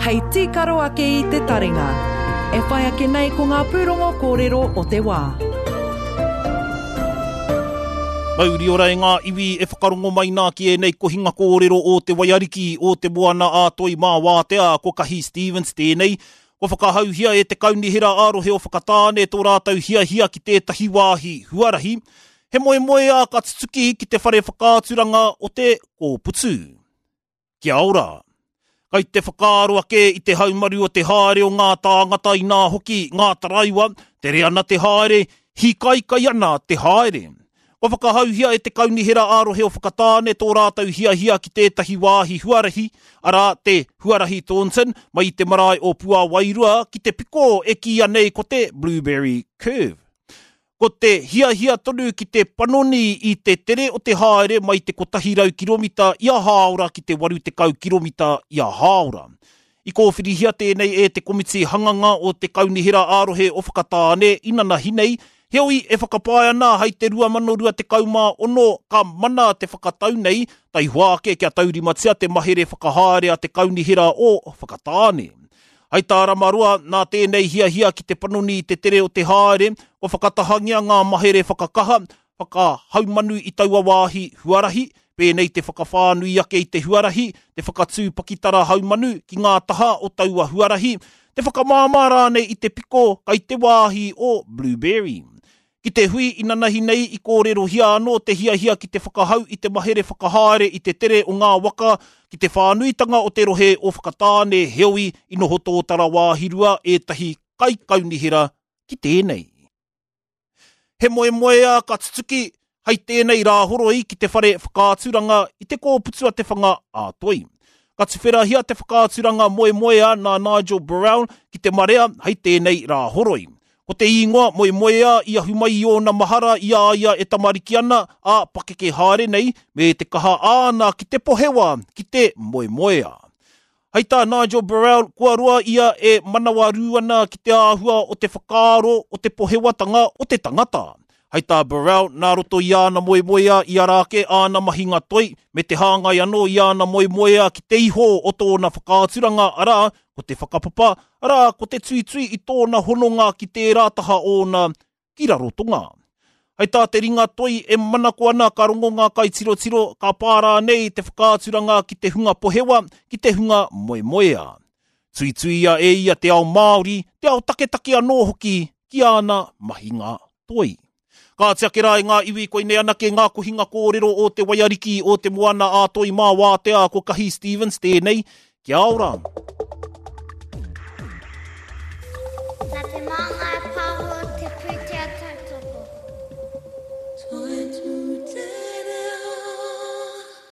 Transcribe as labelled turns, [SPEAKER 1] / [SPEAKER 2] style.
[SPEAKER 1] Hei tīkaro ake i te taringa. E whai ake nei ko ngā pūrongo kōrero o te wā.
[SPEAKER 2] Mauri ora e ngā iwi e whakarongo mai nā ki ēnei kohinga kōrero o te waiariki o te moana a Toi mā Wātea, ko Kahi Stevens tēnei. Kua whakahauhia e te Kaunihera ā-Rohe o Whakatāne tō rātou hiahia ki tētahi wāhi huarahi. He moemoeā ka tutuki ki te whare whakaaturanga o te Kōputu. Kia ora. Kai te whakaaro ake i te haumaru o te haere o ngā tāngata inā hoki ngā taraiwa, tere ana te haere, hīkaikai ana te haere. Kua whakahauhia e te Kaunihera ā-Rohe o Whakatāne tō rātou hiahia ki tētahi wāhi huarahi, arā, te Huarahi Thornton, mai i te marae o Puawairua ki te piko e kīia nei ko te Blueberry Curve. Ko te hiahia tonu ki te panoni i te tere o te haere mai te 100 kiromita ia hāora ki te 80 kiromita ia hāora. I kōwhirihia tēnei e te Komiti Hanganga o te Kaunihera ā-Rohe o Whakatāne inanahi nei, heoi e whakapae ana hei te 2026 ka mana te whakatau nei, taihoa ake kia taurimatia te mahere whakahaere a te Kaunihera o Whakatāne. Hei tā Ramaroa, nā tēnei hiahia ki te panoni i te tere o te haere, kua whakatahangia ngā mahere whakakaha, whakahaumanu i taua wāhi huarahi, pēnei te whakawhānui ake i te huarahi, te whakatū pakitara haumanu ki ngā taha o taua huarahi, te whakamāmā rānei i te piko kai te wāhi o Blueberry. Ki te hui inanahi nei i kōrerohia anō te hiahia ki te whakahau i te mahere whakahaere i te tere o ngā waka ki te whānuitanga o te rohe o Whakatāne heoi i noho tōtara wāhirua ētahi kaikaunihera ki tēnei. He moemoeā ka tutuki hei tēnei Rāhoroi ki te whare whakaaturanga i te kōputu a Te Whanga a Toi. Ka tuwherahia te whakaaturanga moemoeā nā Nigel Burrell ki te marea hei tēnei Rāhoroi. Ko te īngoa moemoeā i ahu mai i ōna mahara i a ia e tamariki ana, ā, pakeke haere nei, me te kaha āna ki te pohewa, ki te moemoeā. Hei tā Nigel Burrell, kua roa ia e manawarū ana ki te āhua o te whakaaro o te pohewatanga o te tangata. Hei tā Burrell, nā roto i āna moemoeā i ara ake āna mahinga toi, me te hāngai anō i āna moemoeā ki te iho o tōna whakaaturanga, arā, ko te whakapapa, arā, ko te tuitui i tōna hononga ki tērā taha ōna ki Rarotonga. Hei tā te ringa toi e manako ana ka rongo ngā kaitirotiro, ka pā rānei te whakaaturanga ki te hunga pohewa, ki te hunga moemoeā. Tuituia e ia te ao Māori, te ao taketake anō hoki ki āna mahinga toi. Kāti ake rā e ngā iwi koinei anake ngā kohinga kōrero o te waiariki o te moana ā Toi mā Wātea ko Kahi Stevens tēnei, Kia ora!
[SPEAKER 3] Nā te māngai.